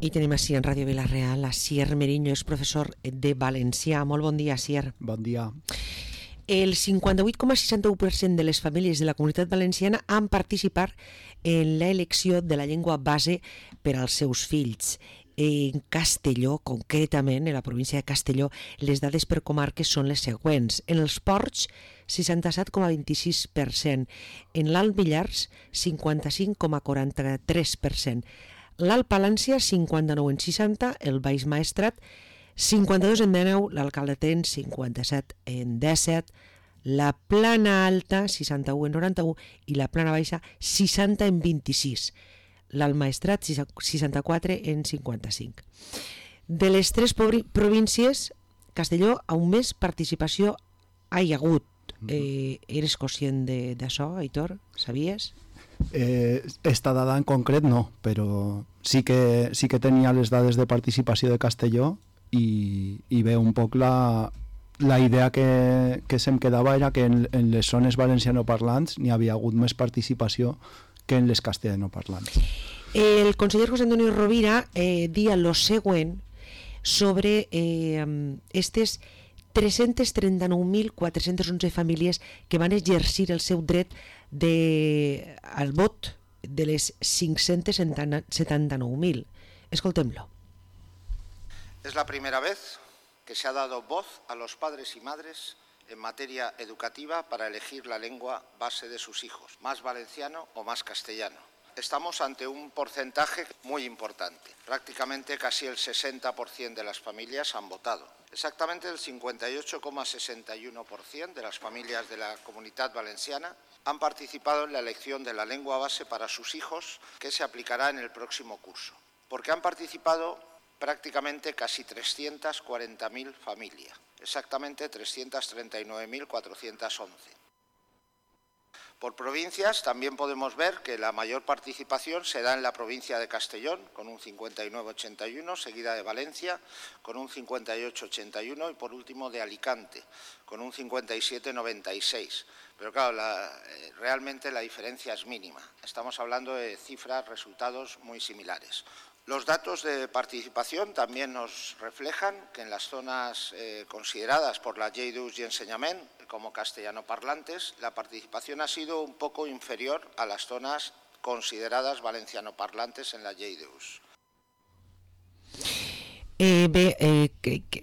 I tenim així en Ràdio Vila-real a Asier Meriño, és professor de valencià. Molt bon dia, Asier. Bon dia. El 58,61% de les famílies de la Comunitat Valenciana han participat en l'elecció de la llengua base per als seus fills. En Castelló, concretament, en la província de Castelló, les dades per comarques són les següents. En els Ports, 67,26%. En l'Alt Millars, 55,43%. L'Alt Palància, 59,60%. El Baix Maestrat, 52,19%. l'Alcaldetenc, 57,17%. La Plana Alta, 61,91%. I la Plana Baixa, 60,26%. L'Alt Maestrat, 64,55%. De les tres províncies, Castelló, on més participació hi ha hagut. Eres conscient d'això, Aitor? Sabies? Esta dada en concret no, però sí que tenia les dades de participació de Castelló i ve un poc la idea que se'm quedava era que en les zones valencianoparlants n'hi havia hagut més participació que en les castellanoparlants. El conseller José Antonio Rovira dia lo següent sobre aquestes 339.411 famílies que van exercir el seu dret al vot de les 579.000. Escoltem-lo. Es la primera vez que se ha dado voz a los padres y madres en materia educativa para elegir la lengua base de sus hijos, más valenciano o más castellano. Estamos ante un porcentaje muy importante. Prácticamente casi el 60% de las familias han votado. Exactamente el 58,61% de las familias de la Comunidad Valenciana han participado en la elección de la lengua base para sus hijos, que se aplicará en el próximo curso. Porque han participado prácticamente casi 340.000 familias, exactamente 339.411. Por provincias también podemos ver que la mayor participación se da en la provincia de Castellón, con un 59,81, seguida de Valencia, con un 58,81 y por último de Alicante, con un 57,96. Pero claro, realmente la diferencia es mínima. Estamos hablando de cifras, resultados muy similares. Los datos de participación también nos reflejan que en las zonas consideradas por la Llei d'Ús i Ensenyament como castellanoparlantes, la participación ha sido un poco inferior a las zonas consideradas valencianoparlantes en la Llei d'Ús.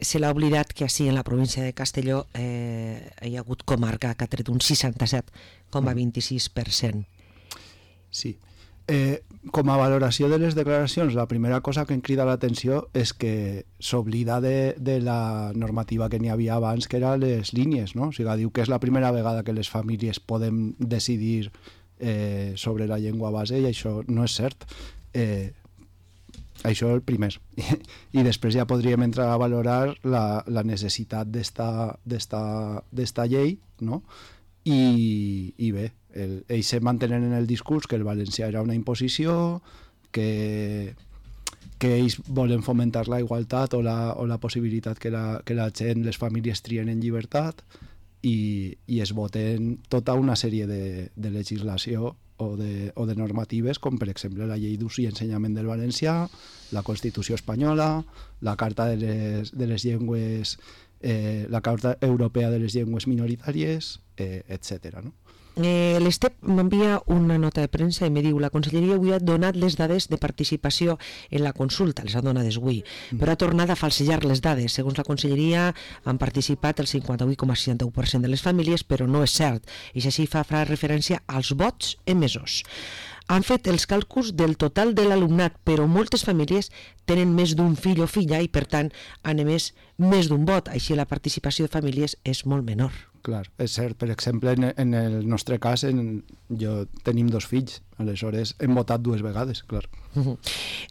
Se l'ha oblidat que així en la província de Castelló hi ha hagut comarca que ha tret un 67,26%. Sí. Com a valoració de les declaracions, la primera cosa que em crida l'atenció és que s'oblida de la normativa que n'hi havia abans, que eren les línies, no? O sigui, diu que és la primera vegada que les famílies podem decidir sobre la llengua base i això no és cert. Això el primer. I després ja podríem entrar a valorar la necessitat d'esta llei, no? I bé, ells se mantenen en el discurs que el valencià era una imposició, que ells volen fomentar la igualtat o la possibilitat que la gent, les famílies trien en llibertat i es voten tota una sèrie de legislació o de normatives, com per exemple la Llei d'Ús i Ensenyament del Valencià, la Constitució Espanyola, la Carta de les Llengües, la Carta Europea de les Llengües Minoritàries, etc. No? L'Estep m'envia una nota de premsa i me diu: la Conselleria avui ha donat les dades de participació en la consulta, les ha donades avui, però ha tornat a falsejar les dades. Segons la Conselleria han participat el 58,61% de les famílies, però no és cert. I així fa referència als vots emesos. Han fet els càlculs del total de l'alumnat, però moltes famílies tenen més d'un fill o filla i, per tant, han emès més d'un vot. Així la participació de famílies és molt menor. Clar, és cert. Per exemple, en el nostre cas, jo tenim 2 fills, aleshores hem votat 2 vegades, clar.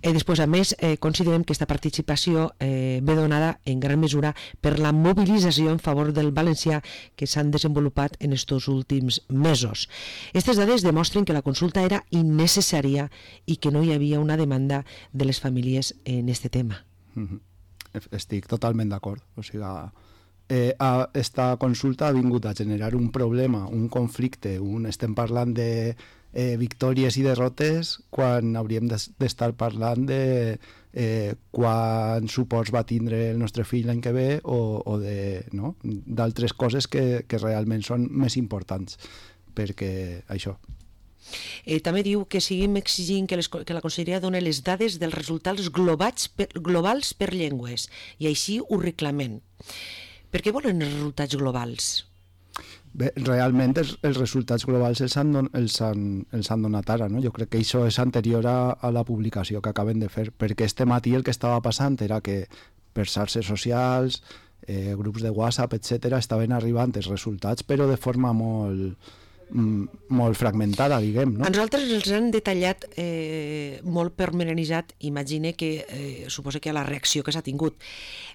Després, a més, considerem que aquesta participació ve donada en gran mesura per la mobilització en favor del valencià que s'han desenvolupat en estos últims mesos. Aquestes dades demostren que la consulta era innecessària i que no hi havia una demanda de les famílies en aquest tema. Estic totalment d'acord. O sigui, esta consulta ha vingut a generar un problema, un conflicte, estem parlant de victòries i derrotes quan hauríem d'estar parlant de quants suports va tindre el nostre fill l'any que ve o d'altres coses que realment són més importants, perquè això. També diu que seguim exigint que la Conselleria doni les dades dels resultats globals per llengües, i així ho reclamem. Per què volen els resultats globals? Bé, realment els resultats globals els han donat ara, no? Jo crec que això és anterior a la publicació que acaben de fer, perquè este matí el que estava passant era que per xarxes socials, grups de WhatsApp, etc., estaven arribant els resultats, però de forma molt fragmentada, diguem, no? A nosaltres els han detallat molt pormenoritzat, imagine que suposa que a la reacció que s'ha tingut.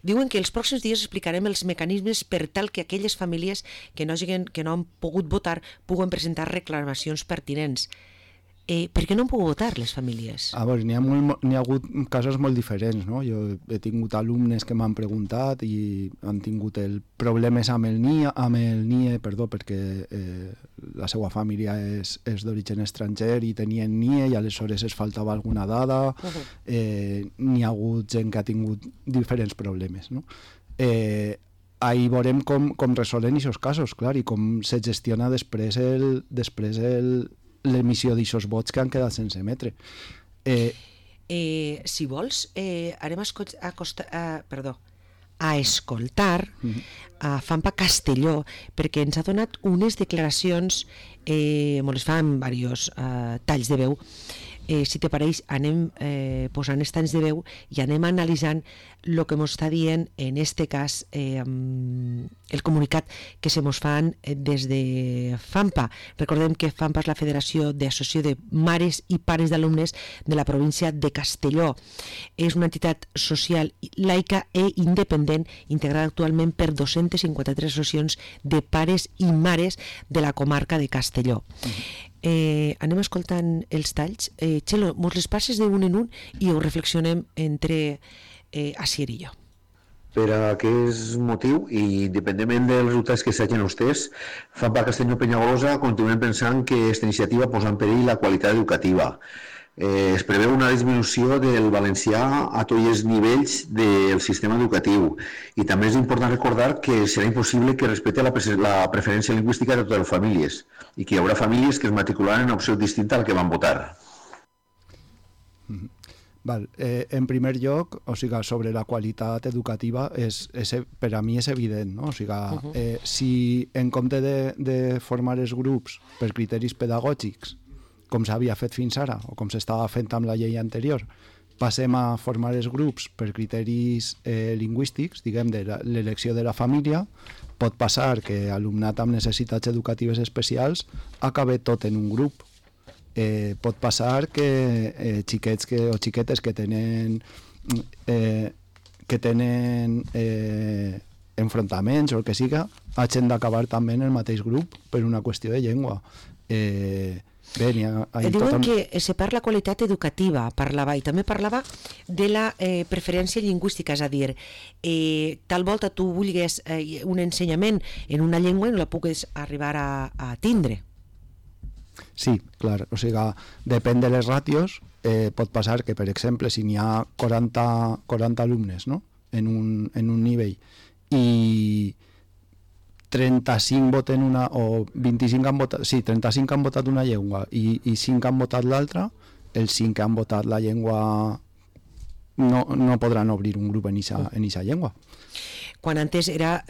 Diuen que els pròxims dies explicarem els mecanismes per tal que aquelles famílies que no han pogut votar puguen presentar reclamacions pertinents. Per què no han pogut votar les famílies? A veure, n'hi ha hagut casos molt diferents, no? Jo he tingut alumnes que m'han preguntat i han tingut problemes amb el NIE, perquè la seva família és d'origen estranger i tenien NIE i aleshores es faltava alguna dada. N'hi ha hagut gent que ha tingut diferents problemes, no? Ahir veurem com resolen aquests casos, clar, i com se gestiona després l'emissió d'aixòs vots que han quedat sense emetre. Si vols, anem a escoltar a Fampa Castelló, perquè ens ha donat unes declaracions, molt les fa en diversos talls de veu. Si te pareix, anem posant els talls de veu i anem analitzant el que ens està dient, en este cas, el comunicat que se mos fan des de Fampa. Recordem que Fampa és la Federació d'Associació de Mares i Pares d'Alumnes de la província de Castelló. És una entitat social laica i independent, integrada actualment per 253 associacions de pares i mares de la comarca de Castelló. Anem escoltant els talls. Txelo, mos les passes de un en un i ho reflexionem entre Asier i jo. Per aquest motiu, i independentment dels resultats que s'hagin vostès, Fampa Castelló Penyagolosa continuem pensant que aquesta iniciativa posa en perill la qualitat educativa. Es preveu una disminució del valencià a tots els nivells del sistema educatiu i també és important recordar que serà impossible que respecte la preferència lingüística de totes les famílies i que hi haurà famílies que es matricularan en opció distinta a la que van votar. En primer lloc, sobre la qualitat educativa, per a mi és evident, no? Si en compte de formar els grups per criteris pedagògics, com s'havia fet fins ara, o com s'estava fent amb la llei anterior, passem a formar els grups per criteris lingüístics, diguem, de l'elecció de la família, pot passar que alumnat amb necessitats educatives especials acabi tot en un grup. Pot passar que xiquets o xiquetes que tenen enfrontaments o el que siga, hagin d'acabar també en el mateix grup per una qüestió de llengua. Diuen que se parla qualitat educativa, parlava, i també parlava de la preferència lingüística, és a dir, tal volta tu vulguis un ensenyament en una llengua i no la puguis arribar a tindre. Sí, clar, depèn de les ràtios, pot passar que, per exemple, si n'hi ha 40 alumnes, no?, en un nivell i 35 voten una, o 25 han votat, 35 han votat una llengua i 5 han votat l'altra, els 5 que han votat la llengua no podran obrir un grup en eixa llengua. Quan antes era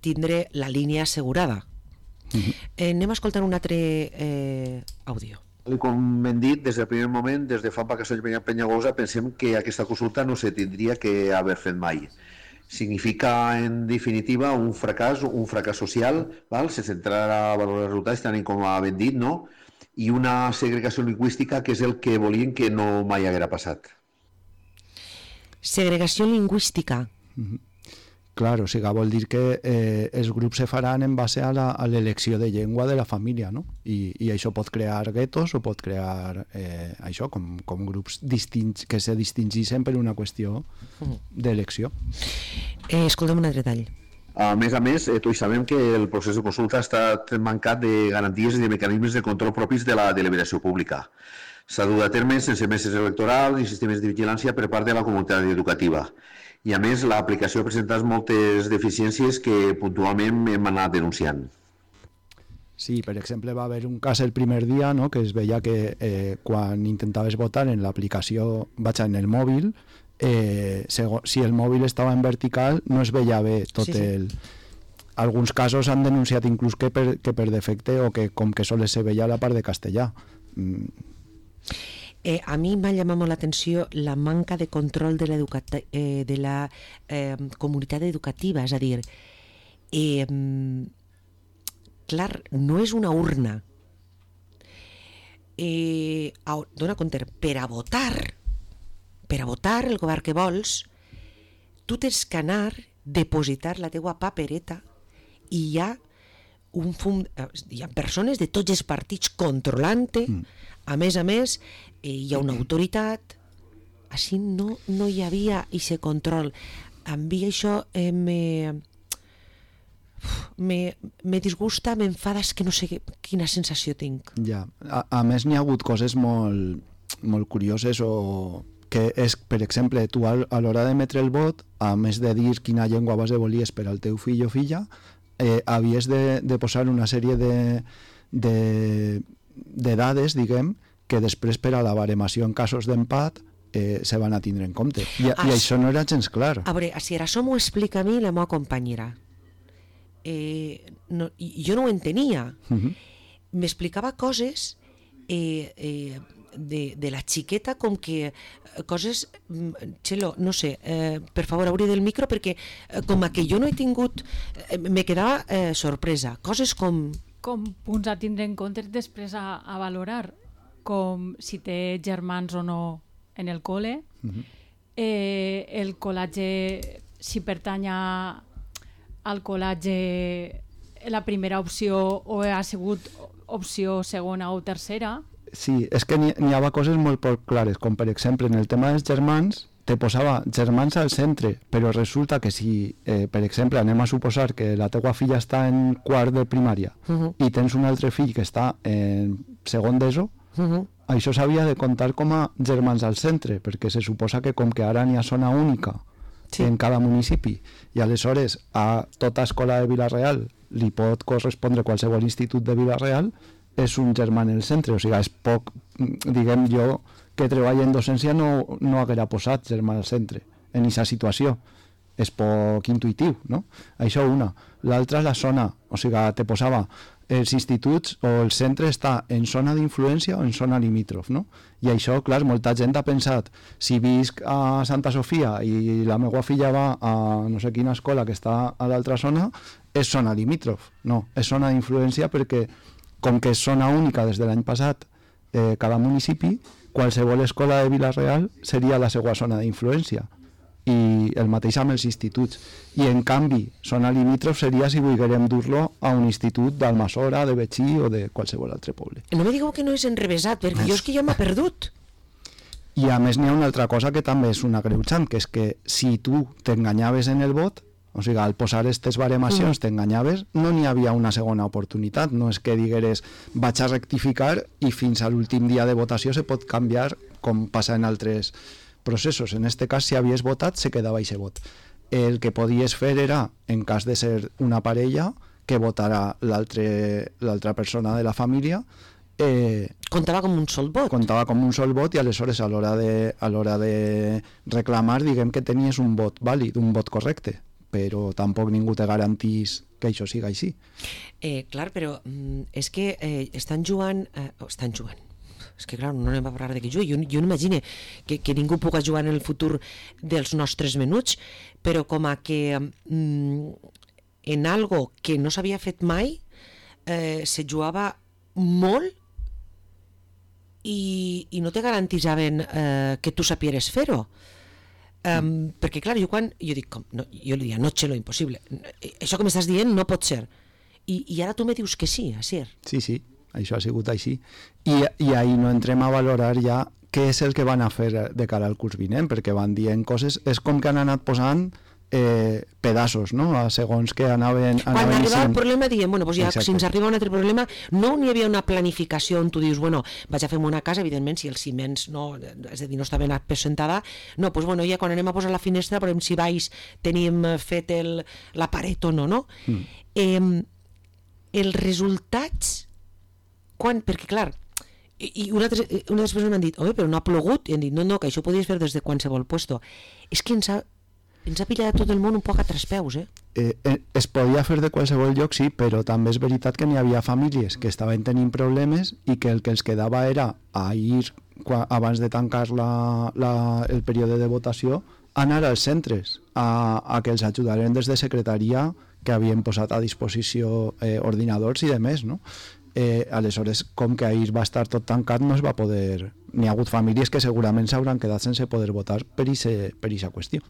tindre la línia assegurada. Anem a escoltar un altre àudio. Com hem dit, des del primer moment, des de Fampa Castelló Penyagolosa, pensem que aquesta consulta no se tindria que haver fet mai. Significa, en definitiva, un fracàs social, sense entrar a valorar els resultats, tant com ben dit, no? I una segregació lingüística, que és el que volien que no mai haguera passat. Segregació lingüística. Clar, vol dir que els grups se faran en base a l'elecció de llengua de la família, no? I això pot crear guetos o pot crear això com grups distints que se distingeixen per una qüestió d'elecció. Escolta'm un altre tall. A més, tots sabem que el procés de consulta ha estat mancat de garanties i de mecanismes de control propis de la deliberació pública. S'ha dut a terme sense meses electorals i sistemes de vigilància per part de la comunitat educativa. I a més, l'aplicació ha presentat moltes deficiències que puntualment hem anat denunciant. Sí, per exemple, va haver un cas el primer dia, no?, que es veia que quan intentaves votar en l'aplicació, en el mòbil, si el mòbil estava en vertical no es veia bé tot el... Alguns casos han denunciat inclús que per defecte o que com que sols se veia la part de castellà. A mi m'ha llamat molt l'atenció la manca de control de la comunitat educativa, és a dir, clar, no és una urna. Dona compte, per a votar el govern que vols, tu tens que anar, depositar la teua papereta i hi ha persones de tots els partits controlant-te. A més, hi ha una autoritat. Així no hi havia aquest control. A mi això me disgusta, m'enfada, és que no sé quina sensació tinc. Ja. A més, n'hi ha hagut coses molt curioses que és, per exemple, tu a l'hora d'emetre el vot, a més de dir quina llengua vas de volies per al teu fill o filla, havies de posar una sèrie de dades, diguem, que després per a la baremació en casos d'empat se van a tindre en compte. I això no era gens clar. A veure, si això m'ho explica a mi la meva companyera. Jo no ho entenia. M'explicava coses de la xiqueta, com que coses, Txelo, no sé, per favor, obri del micro, perquè com que jo no he tingut, me quedava sorpresa, coses com punts a tindre en compte després a valorar, com si té germans o no en el col·le, el col·latge, si pertany al col·latge la primera opció o ha sigut opció segona o tercera. Sí, és que n'hi havia coses molt poc clares, com per exemple en el tema dels germans te posava germans al centre, però resulta que si, per exemple, anem a suposar que la teua filla està en quart de primària i tens un altre fill que està en segon d'ESO, això s'havia de comptar com a germans al centre, perquè se suposa que com que ara n'hi ha zona única en cada municipi, i aleshores a tota escola de Vila-real li pot correspondre qualsevol institut de Vila-real, és un germà en el centre, o sigui, és poc, diguem, jo que treballo en docència no haguera posat germà al centre en aquesta situació, és poc intuïtiu, no? Això una. L'altra és la zona, o sigui, te posava els instituts o el centre està en zona d'influència o en zona limítrof, no? I això, clar, molta gent ha pensat, si visc a Santa Sofia i la meva filla va a no sé quina escola que està a l'altra zona, és zona limítrof. No, és zona d'influència perquè com que és zona única des de l'any passat cada municipi, qualsevol escola de Vila-real seria la seva zona d'influència, i el mateix amb els instituts. I en canvi, zona limítrof seria si volguérem dur-lo a un institut d'Almassora, de Betxí o de qualsevol altre poble. No me digueu que no és enrevesat, perquè jo és que ja m'ha perdut. I a més n'hi ha una altra cosa que també és una agreujant, que és que si tu t'enganyaves en el vot, o sigui, al posar aquestes baremacions t'enganyaves, no n'hi havia una segona oportunitat. No és que digueres vaig a rectificar i fins a l'últim dia de votació se pot canviar, com passa en altres processos. En aquest cas, si havies votat, se quedava aquest vot. El que podies fer era, en cas de ser una parella, que votara l'altra persona de la família. Comptava com un sol vot. Comptava com un sol vot, i aleshores a l'hora de reclamar, diguem que tenies un vot vàlid, un vot correcte, però tampoc ningú te garantís que això siga així. Clar, però és que estan jugant... És que, clar, no anem a parlar de que jugui. Jo no imagino que ningú pugui jugar en el futur dels nostres menuts, però com a que en algo que no s'havia fet mai se jugava molt i no te garantissaven que tu sapieres fer-ho. Perquè, clar, jo dic, jo li diria, no, Txelo, impossible. Això que m'estàs dient no pot ser. I ara tu me dius que sí, Asier. Sí, això ha sigut així. I ahir no entrem a valorar ja què és el que van a fer de cara al curs vinent, perquè van dient coses, és com que han anat posant pedaços, no? Segons que anaven quan arribava sent... el problema diem, bueno, doncs ja, Exacte. si ens arriba un altre problema, no n'hi havia una planificació on tu dius, bueno, vaig a fer una casa, evidentment, si els ciments no, és a dir, no està ben apesentada, no, doncs bueno, ja quan anem a posar la finestra, per exemple, si baix tenim fet la paret o no, no? Els resultats, perquè clar, i unes persones m'han dit, home, però no ha plogut, i han dit, no, que això ho podies fer des de qualsevol puesto. És que ens ha pillat tot el món un poc a traspeus, Es podia fer de qualsevol lloc, sí, però també és veritat que n'hi havia famílies que estaven tenint problemes i que el que els quedava era a ir, abans de tancar el període de votació, anar als centres a que els ajudaren des de secretaria, que havien posat a disposició ordinadors i demés, no? Aleshores, com que ahir va estar tot tancat, no es va poder... N'hi ha hagut famílies que segurament s'hauran quedat sense poder votar per aquesta qüestió.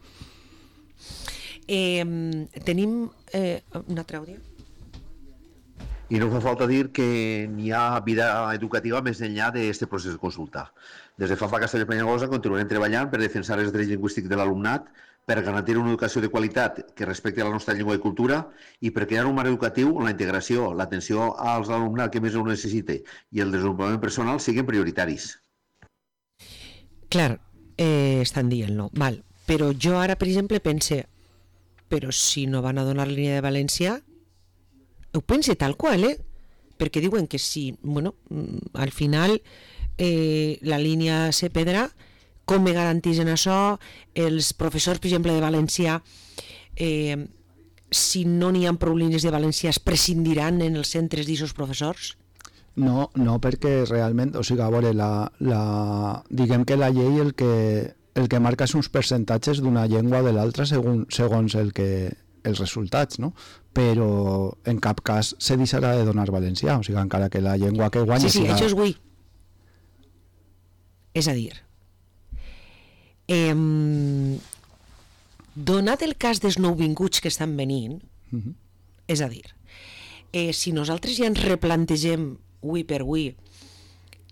Tenim un altre àudio? I no fa falta dir que n'hi ha vida educativa més enllà d'aquest procés de consulta. Des de FAMPA Castelló Peñagosa continuarem treballant per defensar els drets lingüístics de l'alumnat, per garantir una educació de qualitat que respecti la nostra llengua i cultura i per crear un marc educatiu on la integració, l'atenció als alumnat que més ho necessita i el desenvolupament personal siguin prioritaris. Clar, estan dient-lo, val. Però jo ara, per exemple, pense, però si no van a donar la línia de València, ho pense tal qual, perquè diuen que si, bueno, al final la línia se perdrà, com me garanteixen això? Els professors, per exemple, de valencià, si no n'hi ha prou línies de valencià, es prescindiran en els centres d'aquests professors? No, perquè realment, o sigui, a veure, diguem que la llei el que marca és uns percentatges d'una llengua o de l'altra segons els resultats, no? Però en cap cas se deixarà de donar valencià, o sigui, encara que la llengua que guanya... Sí, això és avui. És a dir, donat el cas dels nouvinguts que estan venint, és a dir, si nosaltres ja ens replantegem avui per avui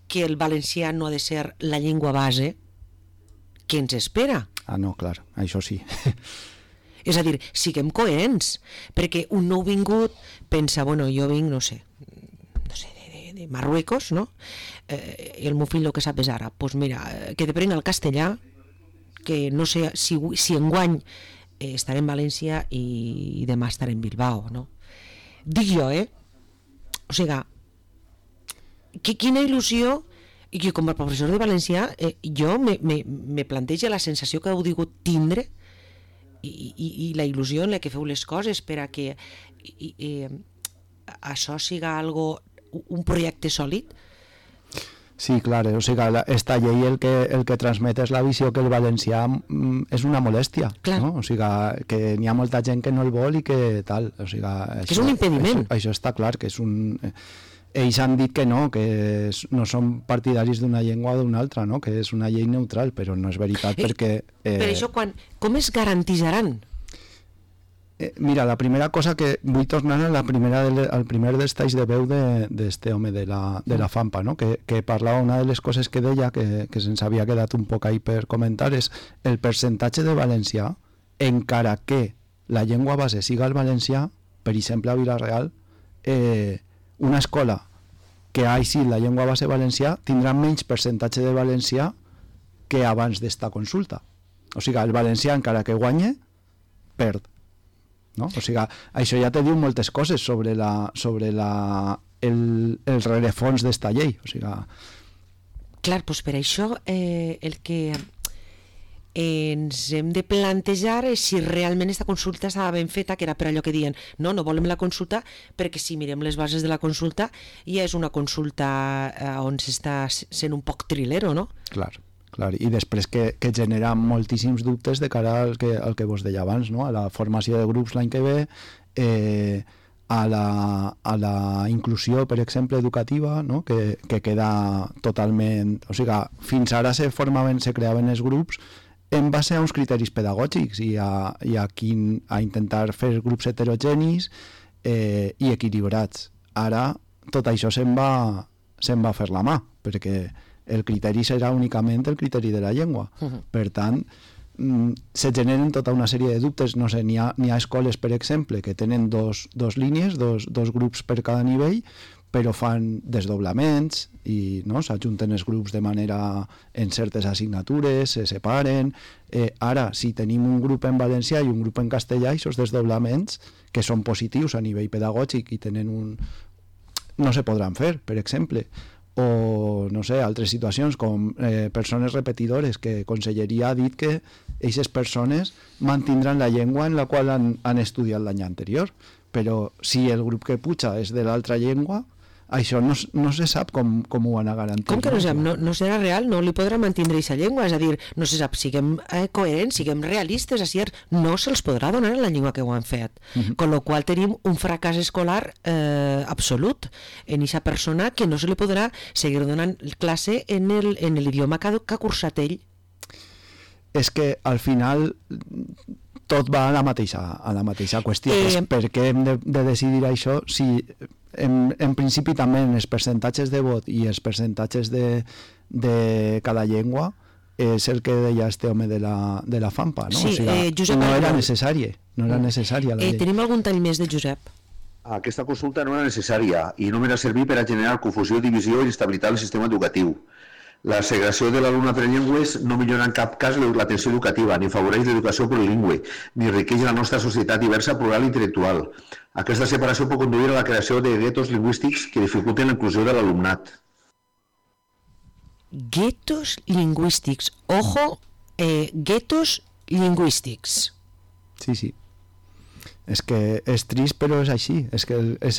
que el valencià no ha de ser la llengua base, què ens espera? Ah, no, clar, això sí. És a dir, siguem coherents, perquè un nouvingut pensa, bueno, jo vinc, no sé, de Marruecos, no? I el meu fill el que sap és àrab. Doncs mira, que deprenc el castellà, que no sé si enguany estaré en València i demà estaré en Bilbao, no? Dic jo, O sigui, quina il·lusió, i que com a professor de valencià jo me planteja la sensació que heu digut tindre i la il·lusió en la que feu les coses per a que això siga un projecte sòlid. Sí, clar, o sigui, esta llei el que transmet és la visió que el valencià és una molèstia, no? O sigui, que n'hi ha molta gent que no el vol i que tal, o sigui... Que és un impediment. Això està clar, que és un... Ells han dit que no són partidaris d'una llengua o d'una altra, no? Que és una llei neutral, però no és veritat perquè... Per això, com es garantisaran? Mira, la primera cosa que vull tornar al primer dels talls de veu d'este home de la FAMPA, no? Que parlava, una de les coses que deia, que se'ns havia quedat un poc ahí per comentar, és el percentatge de valencià, encara que la llengua base siga el valencià, per exemple a Vila-real, una escola que ha sigut la llengua base valencià tindrà menys percentatge de valencià que abans d'esta consulta. O sigui, el valencià, encara que guanye, perd. No? O sigui, això ja te diu moltes coses sobre el rerefons d'esta llei. O sigui... Clar, doncs per això el que ens hem de plantejar és si realment aquesta consulta estava ben feta, que era per allò que diuen no volem la consulta, perquè si mirem les bases de la consulta ja és una consulta on s'està sent un poc trilero, no? Clar, i després que genera moltíssims dubtes de cara al que vos deia abans, no? A la formació de grups l'any que ve, a la inclusió, per exemple, educativa, no? Que queda totalment... O sigui, fins ara se creaven els grups en base a uns criteris pedagògics i a intentar fer grups heterogenis i equilibrats. Ara tot això se'n va a fer la mà, perquè el criteri serà únicament el criteri de la llengua. Per tant, se generen tota una sèrie de dubtes. No sé, n'hi ha escoles, per exemple, que tenen dos línies, dos grups per cada nivell, però fan desdoblaments i no, s'ajunten els grups de manera en certes assignatures, se separen. Ara, si tenim un grup en valencià i un grup en castellà, aquests desdoblaments, que són positius a nivell pedagògic i tenen no se podran fer, per exemple. O, no sé, altres situacions com persones repetidores, que Conselleria ha dit que aquestes persones mantindran la llengua en la qual han estudiat l'any anterior, però si el grup que puja és de l'altra llengua, això no se sap com ho van a garantir. Com que no sap? No serà real, no li podrà mantindre aquesta llengua, és a dir, no se sap, siguem coherents, siguem realistes, així no se'ls podrà donar en la llengua que ho han fet, con lo qual tenim un fracàs escolar absolut en aquesta persona que no se li podrà seguir donant classe en l'idioma que ha cursat ell. És que al final tot va a la mateixa qüestió. Per què hem de decidir això si en principi també en els percentatges de vot i els percentatges de cada llengua és el que deia este home de la FAMPA, no? Sí, o sigui, Josep, no era necessària la llei. Tenim algun tall més de Josep? Aquesta consulta no era necessària i només ha servit per a generar confusió, divisió i instabilitat al sistema educatiu. La segregació de l'alumne per llengües no millora en cap cas l'atenció educativa, ni afavoreix l'educació plurilingüe, ni enriqueix la nostra societat diversa, plural i intel·lectual. Aquesta separació pot conduir a la creació de guetos lingüístics que dificulten la inclusió de l'alumnat. Guetos lingüístics. Ojo, guetos lingüístics. Sí. És que és trist, però és així. És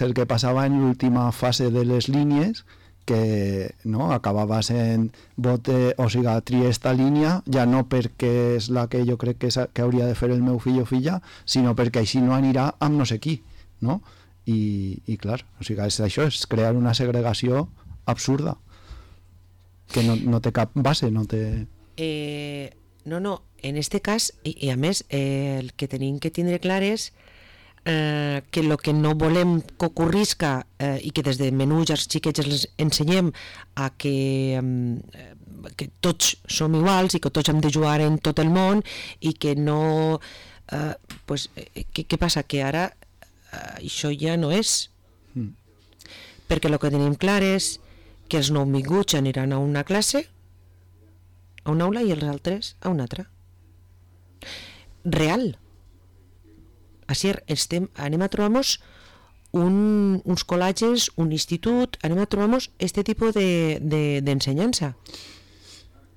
el que passava en l'última fase de les línies, que no, acabava sent o sigui, triar esta línia, ja no perquè és la que jo crec que hauria de fer el meu fill o filla, sinó perquè així no anirà amb no sé qui, no? I clar, o sigui, això és crear una segregació absurda que no té cap base, no té... No, en este cas, i a més, el que tenim que tindre clar és que el que no volem que ocorrisca i que des de menú ja els xiquets els ensenyem a que tots som iguals i que tots hem de jugar en tot el món i que no... Què passa? Que ara això ja no és. Perquè el que tenim clar és que els nouvinguts aniran a una classe, a una aula, i els altres a una altra. Real. Així anem a trobar-nos uns col·legis, un institut, anem a trobar-nos este tipus d'ensenyança.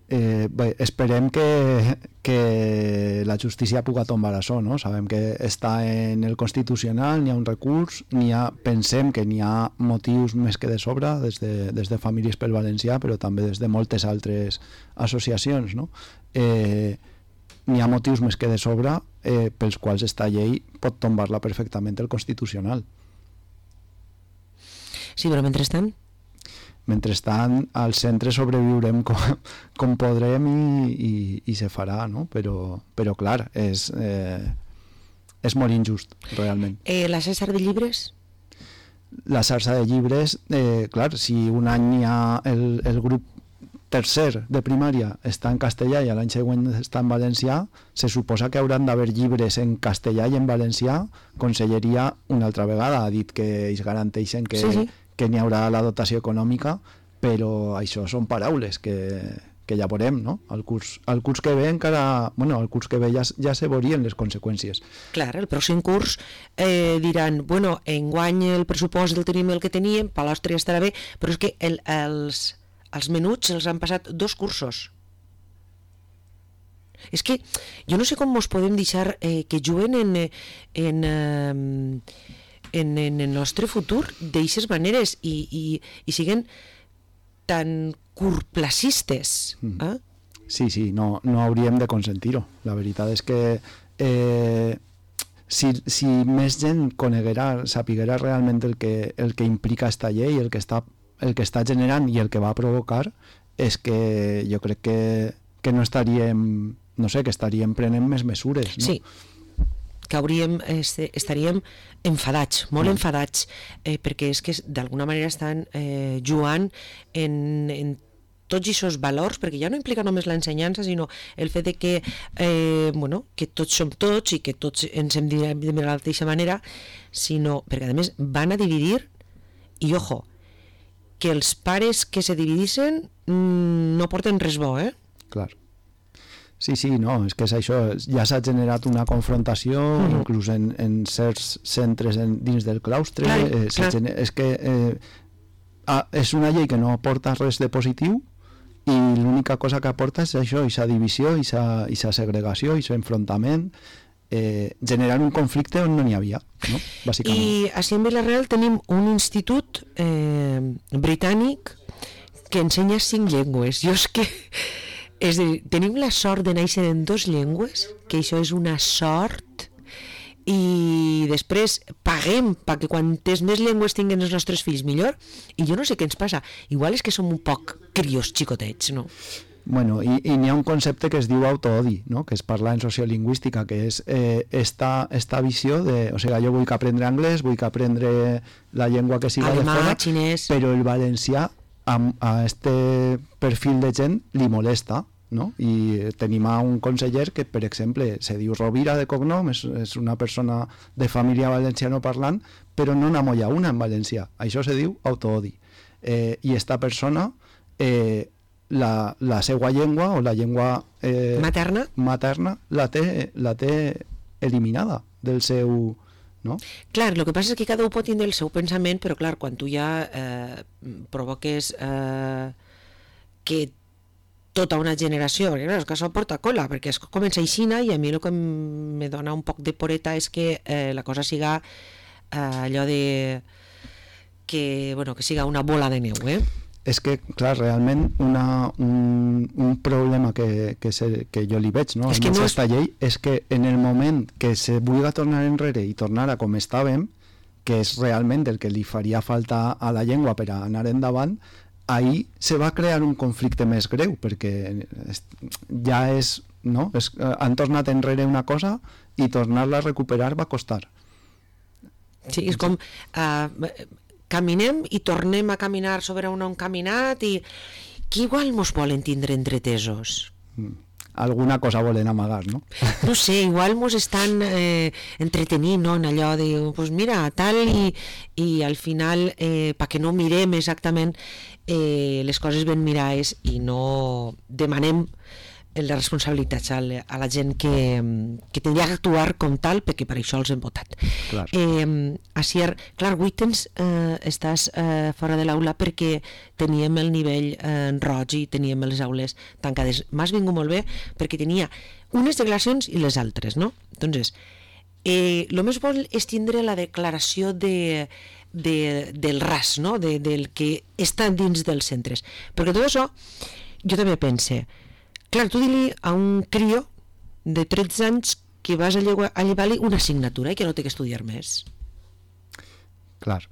Bé, esperem que la justícia puga tombar això, no? Sabem que està en el Constitucional, n'hi ha un recurs, pensem que n'hi ha motius més que de sobre, des de Famílies pel Valencià, però també des de moltes altres associacions, no? N'hi ha motius més que de sobre pels quals esta llei pot tombar-la perfectament el Constitucional. Sí, però mentrestant? Mentrestant, al centre sobreviurem com podrem i se farà, no? Però clar, és molt injust, realment. La xarxa de llibres? La xarxa de llibres, clar, si un any hi ha el grup tercer de primària està en castellà i l'any següent està en valencià, se suposa que hauran d'haver llibres en castellà i en valencià. Conselleria una altra vegada ha dit que ells garanteixen que n'hi haurà la dotació econòmica, però això són paraules que ja veurem, no? El curs que ve encara... Bueno, el curs que ve ja se veurien les conseqüències. Clar, el pròxim curs diran, bueno, enguany el pressupost el tenim el que teníem, per l'Àustria estarà bé, però és que els menuts els han passat 2 cursos. És que jo no sé com ens podem deixar que juguen en el nostre futur d'eixes maneres i siguen tan curtplacistes. Sí, no hauríem de consentir-ho. La veritat és que si més gent sapiguera realment el que implica esta llei, el que està generant i el que va provocar, és que jo crec que no estaríem, no sé, que estaríem prenent més mesures, no? Sí, que estaríem enfadats, molt enfadats, perquè és que d'alguna manera estan jugant en tots aquests valors, perquè ja no implica només l'ensenyança, sinó el fet de que, que tots som tots i que tots ens hem de mirar de la mateixa manera, sinó perquè a més van a dividir, i ojo, que els pares que se dividissin no porten res bo, Clar. Sí, no, és que és això, ja s'ha generat una confrontació, inclús en certs centres dins del claustre, és que és una llei que no aporta res de positiu, i l'única cosa que aporta és això, aquesta divisió, aquesta segregació, aquest enfrontament, generant un conflicte on no n'hi havia, no? Bàsicament. I així en Vila-real tenim un institut britànic que ensenya 5 llengües. Jo és que... És a dir, tenim la sort de néixer en 2 llengües, que això és una sort, i després paguem perquè quantes més llengües tinguen els nostres fills millor, i jo no sé què ens passa, igual és que som un poc crios xicotets, no? Bueno, i n'hi ha un concepte que es diu autoodi, no? Que es parla en sociolingüística, que és esta visió de, o sigui, jo vull que aprendre anglès, vull que aprendre la llengua que siga alemà, de fora, xinès, però el valencià a este perfil de gent li molesta, no? I tenim un conseller que, per exemple, se diu Rovira de cognom, és una persona de família valenciano parlant, però no n'amolla una en valencià. Això se diu autoodi. I esta persona, la seva llengua o la llengua materna la té eliminada del seu... No? Clar, el que passa és que cada un pot tindre el seu pensament, però clar, quan tu ja provoques que tota una generació, perquè clar, és que això porta cola, perquè es comença aixina, i a mi el que me dona un poc de poreta és que la cosa siga allò de que siga una bola de neu, És que, clar, realment un problema que jo li veig, no? En aquesta llei, és que en el moment que se vulgui tornar enrere i tornar a com estàvem, que és realment el que li faria falta a la llengua per a anar endavant, ahir se va crear un conflicte més greu, perquè ja és, no? Han tornat enrere una cosa i tornar-la a recuperar va costar. Sí, és com... caminem i tornem a caminar sobre on hem caminat, i que igual mos volen tindre entretesos. Alguna cosa volen amagar, no? No sé, igual mos estan entretenint, no? En allò de, pues mira, tal, i al final, perquè no mirem exactament les coses ben mirades i no demanem les responsabilitats a la gent que tindria que actuar com tal, perquè per això els hem votat. Clar. Asier, clar, avui estàs fora de l'aula perquè teníem el nivell roig i teníem les aules tancades. M'has vingut molt bé perquè tenia unes declaracions i les altres, no? Entonces, el més bo és tindre la declaració del RAS, no? Del que està dins dels centres. Perquè tot això, jo també pense, clar, tu di-li a un crio de 13 anys que vas a llevar-li una assignatura i que no té que estudiar més. Clar.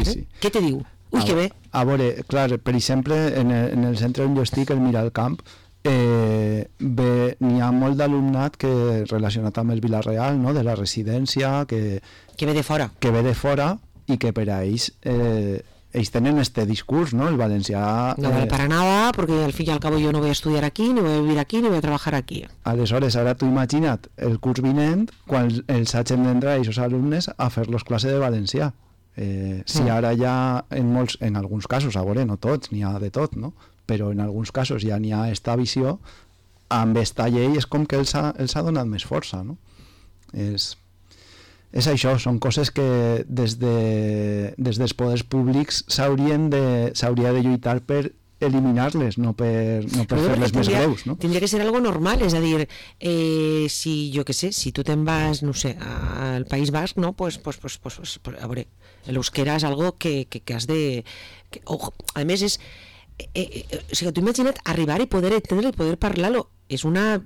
Sí. Què te diu? Ui, que bé. A veure, clar, per exemple, en el centre on jo estic, el Miralcamp, n'hi ha molt d'alumnat que relacionat amb el Vila-real, no? De la residència, que ve de fora. Que ve de fora i que per a ells tenen este discurs, ¿no? El valencià... No vale para nada, porque al fin y al cabo yo no voy a estudiar aquí, ni voy a vivir aquí, ni voy a trabajar aquí. Aleshores, ara tu imagina't el curs vinent, quan els hagin d'entrar aquests alumnes a fer-los classe de valencià. Si ara ja, en alguns casos, a veure, no tots, n'hi ha de tot, no? Però en alguns casos ja n'hi ha esta visió, amb esta llei és com que els ha donat més força, no? És això, són coses que des dels poders públics s'hauria de lluitar per eliminar-les, no per fer-les més greus, no? Tindria que ser algo normal, és a dir, si jo què sé, si tu te'n vas, no sé, al País Basc, no? Pues a veure, l'euskera és algo que has de... A més, és... o sigui, tu imagina't arribar i poder entendre i poder parlar-lo. És una...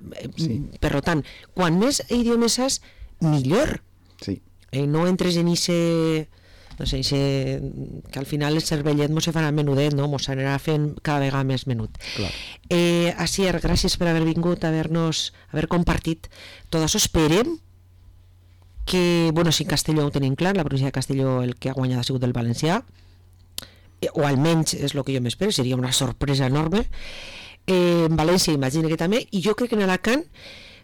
Per tant, quan més idiomes has, millor. Sí. No entres en ese... No sé, que al final el cervellet mos se farà menudet, no? Mos anirà fent cada vegada més menut. Asier, gràcies per haver vingut, haver compartit tot això. Esperem que, bueno, si en Castelló ho tenim clar, la província de Castelló el que ha guanyat ha sigut el valencià, o almenys és el que jo m'espero, seria una sorpresa enorme. En València imagino que també, i jo crec que en Alacant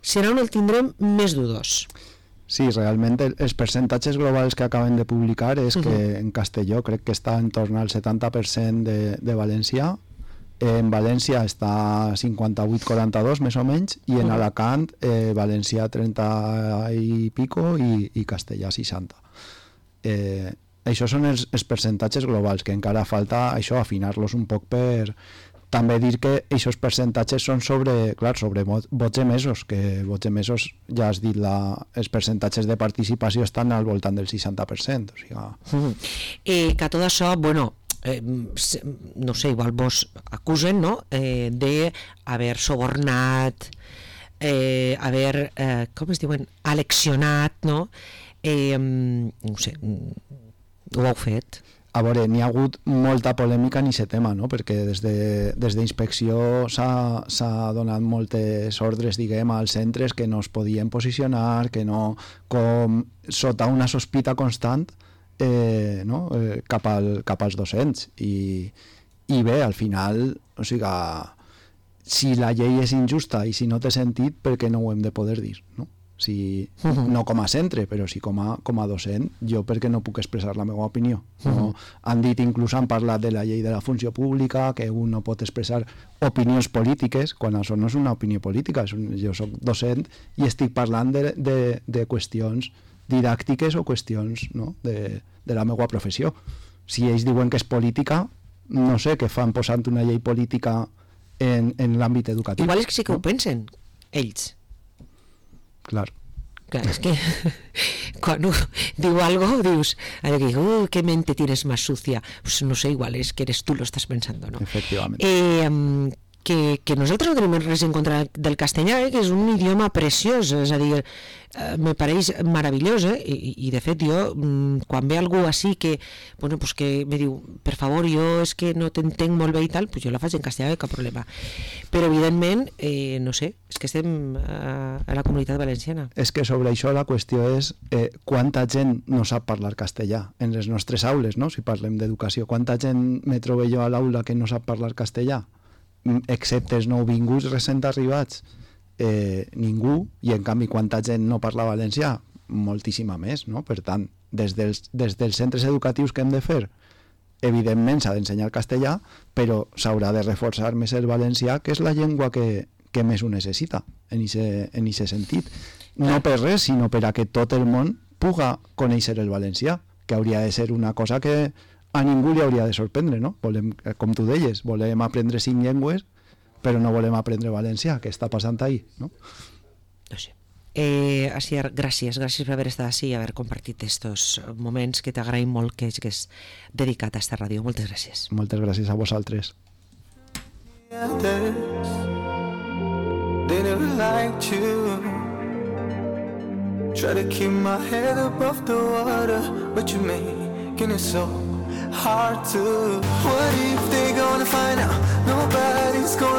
serà on el tindrem més dudós. Sí, realment els percentatges globals que acaben de publicar és que en Castelló crec que està en torn al 70% de València, en València està 58-42 més o menys, i en Alacant València 30 i pico i Castellà 60. Això són els percentatges globals, que encara falta això, afinar-los un poc per també dir que aquests percentatges són sobre vots emesos, que vots emesos, ja has dit, els percentatges de participació estan al voltant del 60%. O sigui... que tot això, bueno, no sé, igual vos acusen, no?, d'haver subornat, haver, com es diuen, aleccionat, no? No sé, ho heu fet? A veure, n'hi ha hagut molta polèmica en aquest tema, no? Perquè des d'inspecció s'ha donat moltes ordres, diguem, als centres que no es podien posicionar, que no, com sota una sospita constant, no? cap als docents. I bé, al final, o sigui, si la llei és injusta i si no té sentit, per què no ho hem de poder dir, no? Si, no com a centre, però sí com a docent, jo perquè no puc expressar la meva opinió. No? Han dit, inclús han parlat de la llei de la funció pública, que un no pot expressar opinions polítiques, quan això no és una opinió política, jo soc docent i estic parlant de qüestions didàctiques o qüestions, no?, de la meva professió. Si ells diuen que és política, no sé què fan posant una llei política en l'àmbit educatiu. Igual és que sí que ho pensen, ells. Clar, és que quan diu algo dius, qué mente tienes más sucia, pues no sé, igual es que eres tú lo estás pensando, ¿no? Efectivament. Que nosaltres no tenim res en contra del castellà, que és un idioma preciós, és a dir, me pareix meravellós, i de fet jo, quan ve algú així que, bueno, pues que me diu, per favor, jo és que no t'entenc molt bé i tal, pues jo la faig en castellà, cap problema. Però evidentment, no sé, és que estem a la comunitat valenciana. És que sobre això la qüestió és quanta gent no sap parlar castellà en les nostres aules, no? Si parlem d'educació, quanta gent me trobo jo a l'aula que no sap parlar castellà? Excepte els nouvinguts recent arribats, ningú, i en canvi quanta gent no parla valencià? Moltíssima més, no? Per tant, des dels centres educatius que hem de fer, evidentment s'ha d'ensenyar castellà, però s'haurà de reforçar més el valencià, que és la llengua que més ho necessita en aquest sentit. No per res, sinó per a que tot el món puga conèixer el valencià, que hauria de ser una cosa que a ningú li hauria de sorprendre, no? Volem, com tu deies, volem aprendre 5 llengües, però no volem aprendre valencià. Què està passant ahí, no? No sé. Asier, gràcies per haver estat així i haver compartit estos moments que t'agraïm molt que és dedicat a esta ràdio. Moltes gràcies. Moltes gràcies a vosaltres. They never liked you. Try to keep my head above the water, but you're making it so hard to. What if they're gonna find out nobody's gonna